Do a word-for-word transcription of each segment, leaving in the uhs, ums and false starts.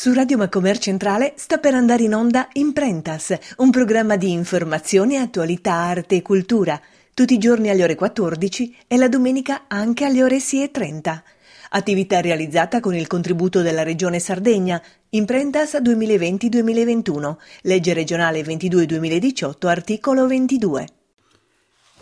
Su Radio Macomer Centrale sta per andare in onda Imprentas, un programma di informazione, attualità, arte e cultura, tutti i giorni alle ore quattordici e la domenica anche alle ore sei e trenta. Attività realizzata con il contributo della Regione Sardegna, Imprentas duemilaventi duemilaventuno, legge regionale ventidue duemiladiciotto, articolo ventidue.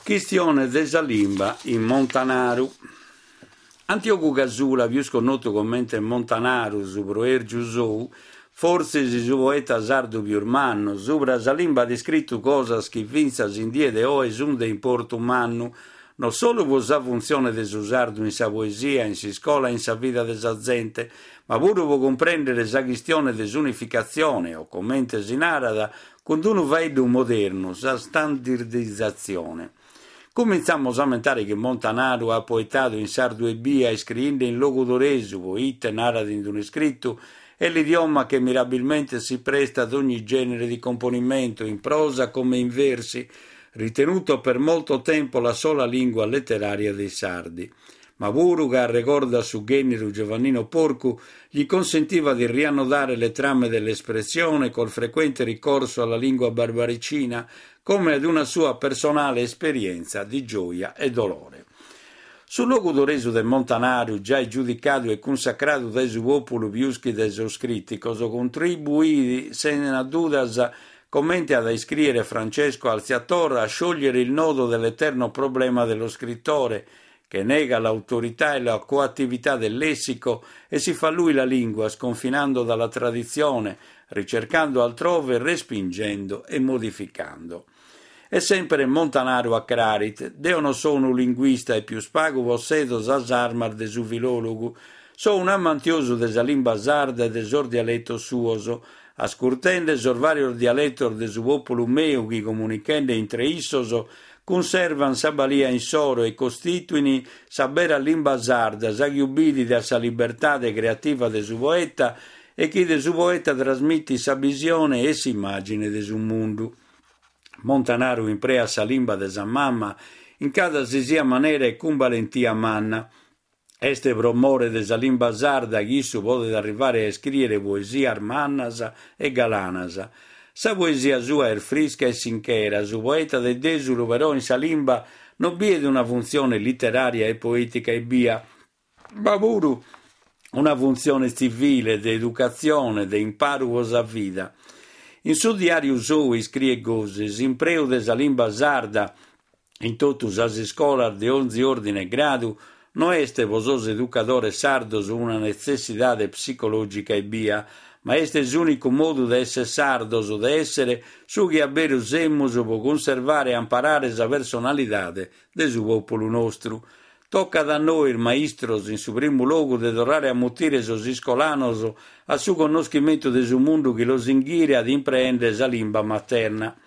Chistione de sa limba in Montanaru. Antiogu Casula, pius connotu comente Montanaru, su proèrgiu sou, fortzis su poeta sardu pius mannu, subra sa limba at iscritu cosas chi fintzas in die de oe sunt de importu mannu, non solu pro sa funtzione de su sardu in sa poesia, in s'iscola e in sa vida de sa zente, ma puru pro cumprèndere sa chistione de s'unificatzione, o comente si narat, cun unu faeddu modernu, sa standardizatzione. Comintzamos a ammentare chi Montanaru at poetadu in sardu ebbia, iscriende in logudoresu, poite, narat in un'iscritu, è l'idioma che mirabilmente si presta ad ogni genere di componimento, in prosa come in versi, ritenuto per molto tempo la sola lingua letteraria dei sardi. Ma puru ca arregordat su ghènneru Giovannino Porcu gli consentiva di riannodare le trame dell'espressione col frequente ricorso alla lingua barbaricina come ad una sua personale esperienza di gioia e dolore. Su logudoresu de Montanaru, giai giudicadu e cunsacradu dae su pòpulu pius chi dae sos crìticos, contribuit sena dudas, comente at a iscrìere Francesco Alziator, a sciogliere il nodo dell'eterno problema dello scrittore, che nega l'autorità e la coattività del lessico e si fa lui la lingua, sconfinando dalla tradizione, ricercando altrove, respingendo e modificando. E sempre Montanaru acrarit, deo non sono un linguista e pius pagu possedo sas armas de su filòlogu, so un amantiosu de sa limba sarda e de sos dialetos suos, ascurtende sos varios dialetos de su populu meu chi comunichende intre issos cunservan sa balia insoro e costituini sa bera limba sarda, sa chi ubbidit a sa libertade creativa de su poeta e chi de su poeta trasmitit sa visione e s'immagine de su mundu. Montanaru imprea sa limba de sa mama in cada si sia manera e cun valentia manna. Est pro more de sa limba sarda chi issu podet arrivare a iscrìere poesias mannas e galanas. Sa poesia sua est frisca e sinchera, su poeta de Dèsulu però in sa limba non biet una funtzione literària e poètica ebbia, ma puru una funtzione tzivile, de educatzione, de imparu pro sa vida. In su diàriu sou iscriet gosi, s'impreu de sa limba sarda in totu sas iscolas de onzi òrdine e gradu no est pro sos educadores sardos una netzessidade psicològica ebbia, ma est s'ùnicu modu de èssere sardos, de èssere su chi a beru semus pro cunservare e amparare sa personalidade de su pòpulu nostru. Tocat a nois, maistros, in su primu logu de torrare a mutire sos iscolanos a su connoschimentu de su mundu chi los inghìriat impreende sa limba materna.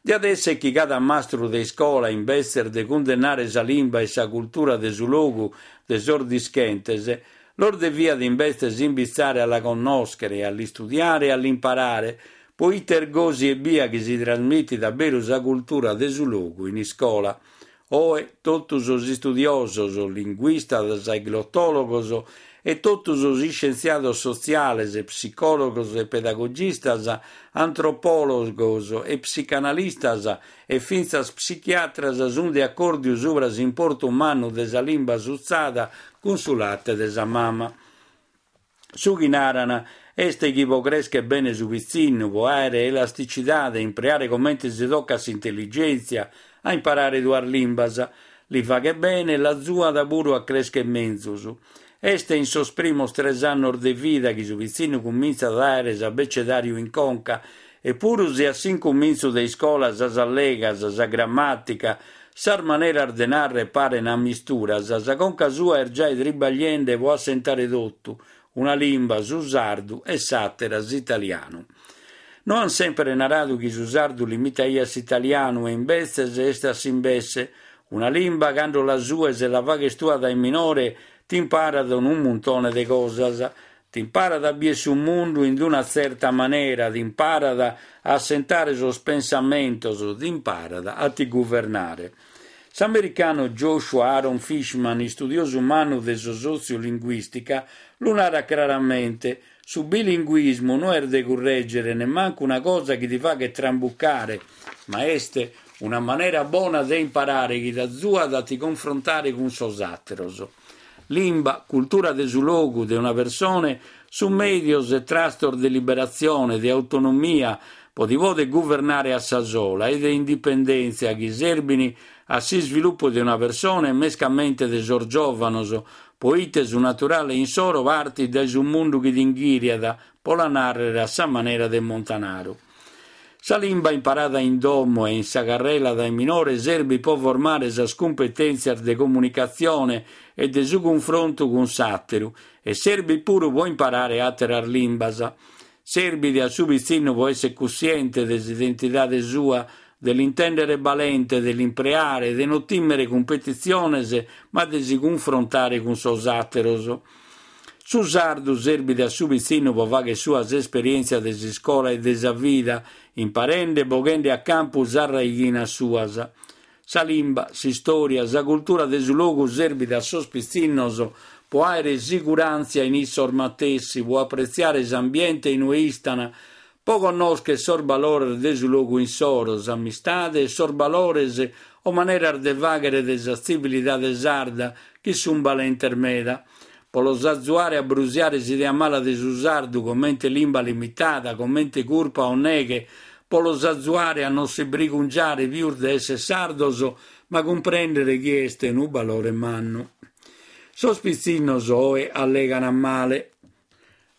Diat èssere chi cada mastru de iscola, imbetzes de cundennare sa limba e sa cultura de su logu de sos dischentes, los deviat imbetzes imbitzare a la connòschere, a l'istudiare e a l'imparare, poite est gosi ebbia chi si trasmitit a beru sa cultura de su logu in iscola. Oe totu sos istudiosos, linguistas e glottòlogos e totu sos iscientziados sotziales, psicòlogos e pedagogistas, antropòlogos e psicanalistas e fintzas psichiatras sunt de acòrdiu subra s'importu mannu de sa limba sutzada cun su late de sa mama. Su chi naran est chi pro crèschere bene su pitzinnu, pro àere elasticidade, impreare comente si tocat s'intelligèntzia, a imparare duas limbas, li faghet bene e l'azuat puru a crèschere menzus. Est in sos primos tres annos de vida chi su pitzinnu cumintzat a àere s'abecedàriu in conca, e puru si a s'incumintzu de iscola sas allegas, sa grammàtica, sas maneras de narrer paren a misturas, sa conca sua est giai tribagliende pro assentare totu, una limba, su sardu, e s'àtera, s'italianu. No an sempre naradu chi su sardu limitaiat s'italianu e imbetzes est a s'imbesse. Una limba, cando la sues e la faghes tua dae minore, t'imparat unu muntone de cosas. T'imparat a bier su mundu in una tzerta manera, t'imparat a assentare sos pensamentos, t'imparat a ti guvernare. S'americanu Joshua Aaron Fishman, istudiosu mannu de sotziolinguìstica, lu narat craramente. Su bilinguismu no est de currègere, nemmancu una cosa chi ti faghet trambucare, ma est una manera bona de imparare chi t'azuat a ti confrontare cun sos àteros. Limba, cultura de su logu, de una persone, sunt mèdios e trastos de liberatzione, de autonomia, po ti poder guvernare a sa sola e de indipendèntzia chi serbint a s'isvilupu de una persone e mescamente de sos giòvanos, poite su naturale insoro partit dae su mundu chi t'inghìriat, po la nàrrere a sa manera de Montanaru. Sa limba imparada in domo e in sa carrela dae minore serbit po formare sas cumpetèntzias de comunicatzione e de su cunfrontu cun s'àteru e serbit puru po imparare àteras limbas. Serbit a su pitzinnu po essere cussiente de s'identidade sua, de l'intèndere balente, de l'impreare, de non tìmere cumpetitziones, ma de si cunfrontare cun sos àteros. Su sardu serbit a su pitzinnu po fagher suas esperièntzias de s'iscola e de sa vida, imparende e boghende a campu sas raighinas suas. Sa limba, s'istòria, sa cultura de su logu serbit a sos pitzinnos po àere siguràntzia in issos matessi, po apretziare s'ambiente in ue istan, po connòschere sos balores de su logu insoro, s'amistade e sos balores o maneras de fàghere de sa tzivilidade sarda chi sunt balentes meda. Po los azuare a brusiare s'idea mala de su sardu comente limba limitada, comente curpa o neghe, po los azuare a non si brigungiare pius de essere sardos, ma cumprèndere chi est unu balore mannu. Sos pitzinnos oe allegant male.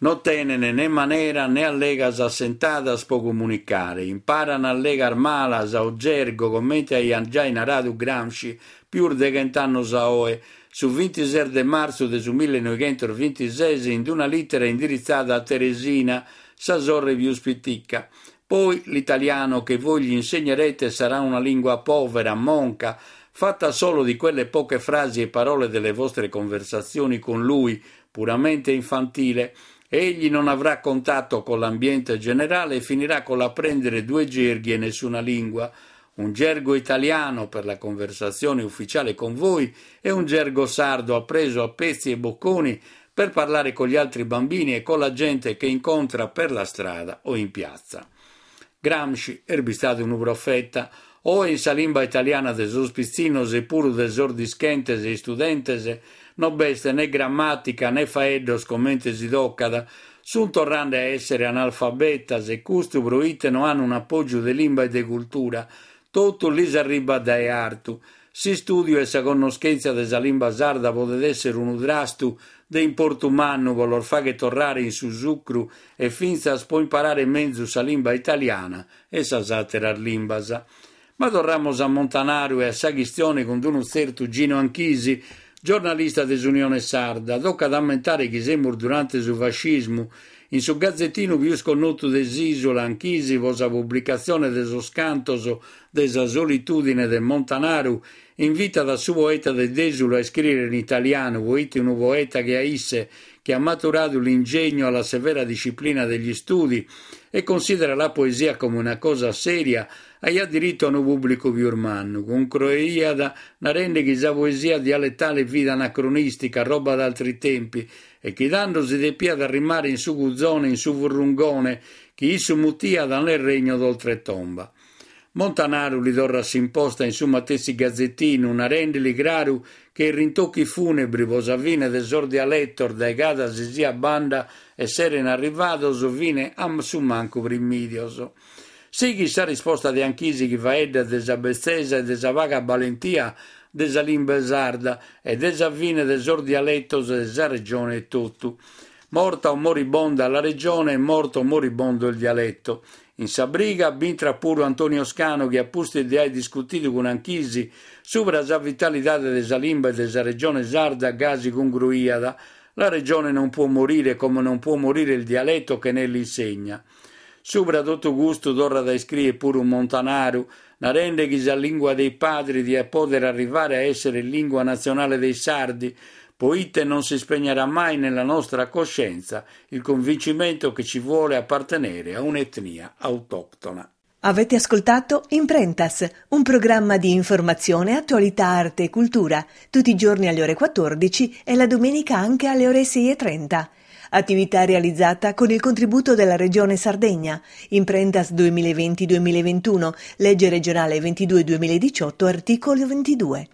Non tenen né manera né allegas assentadas po comunicare, imparan allegas malas o gergo, comente aiat giai naradu Gramsci pius de chent'annos a oe, su vintises de martzu de su millenoighentosvintises in una lìtera indiritzada a Teresina, sa sorre pius pitica. Poi l'italiano che voi gli insegnerete sarà una lingua povera, monca, fatta solo di quelle poche frasi e parole delle vostre conversazioni con lui, puramente infantile. Egli non avrà contatto con l'ambiente generale e finirà con l'apprendere due gerghi e nessuna lingua, un gergo italiano per la conversazione ufficiale con voi e un gergo sardo appreso a pezzi e bocconi per parlare con gli altri bambini e con la gente che incontra per la strada o in piazza. Gramsci est bistadu unu profeta, oe in sa limba italiana de sos pitzinnos e puru de sos dischentes e istudentes non b'est né grammatica né faeddos comente si tocat, sunt torrende a essere analfabetas e custu proite no han un appogiu de limba e de cultura, totu lis arribat dae artu. S'istudiu e sa connoschentzia de sa limba sarda podet essere unu trastu de importu mannu po los fagher torrare in su sucru e fintzas po imparare menzus sa limba italiana e sas àteras limbas. Ma torramos a Montanaru e a sa chistione cun unu tzertu Gino Anchisi, giornalista de s'Unione Sarda. Tocat a ammentare chi semus durante su fascismu. In su gazzettinu pius connotu de s'ìsula, Anchisi, po sa publicatzione de sos cantos de sa solitudine de Montanaru, invitat a su poeta de Desulo a iscriere in italianu, poite unu poeta che a isse, che ha maturato l'ingegno alla severa disciplina degli studi e considera la poesia come una cosa seria, aiat dirittu a unu pubblicu pius mannu. Concruiat narende chi sa poesia dialettale fit anacronistica, roba d'altri tempi, e chi tando si depiat arrimare in su cuzone, in su furrungone, chi issu mutiat nel regno d'oltretomba. Montanaru li torrat s'imposta in su matessi gazzettinu, narendeli craru che i rintocchi funebri po sa fine de sos dialettos dae cada si sia banda esseren arrivados fine a su mancu primidios. Sighit sa risposta de Anchisi chi faeddat de sa betzesa e de sa paga balentia de sa limba sarda e de sa fine de sos dialettos de sa regione etotu. Morta o moribonda la regione, morto o moribondo il dialetto. In sa briga b'intrat puru Antonio Scano chi a pustis de aer discutidu cun Anchisi subra sa vitalidade de sa limba e de sa regione sarda gasi congruiat. La regione non può morire come non può morire il dialetto che ne l'insegna. Subra totu custu torrat a iscriere puru Montanaru, narende chi sa lingua dei padri diat poder arrivare a essere lingua nazionale dei sardi, poite non si spegnerà mai nella nostra coscienza il convincimento che ci vuole appartenere a un'etnia autoctona. Avete ascoltato Imprentas, un programma di informazione, attualità, arte e cultura, tutti i giorni alle ore quattordici e la domenica anche alle ore sei e trenta. Attività realizzata con il contributo della Regione Sardegna. Imprentas duemilaventi-duemilaventuno, legge regionale ventidue duemiladiciotto, articolo ventidue.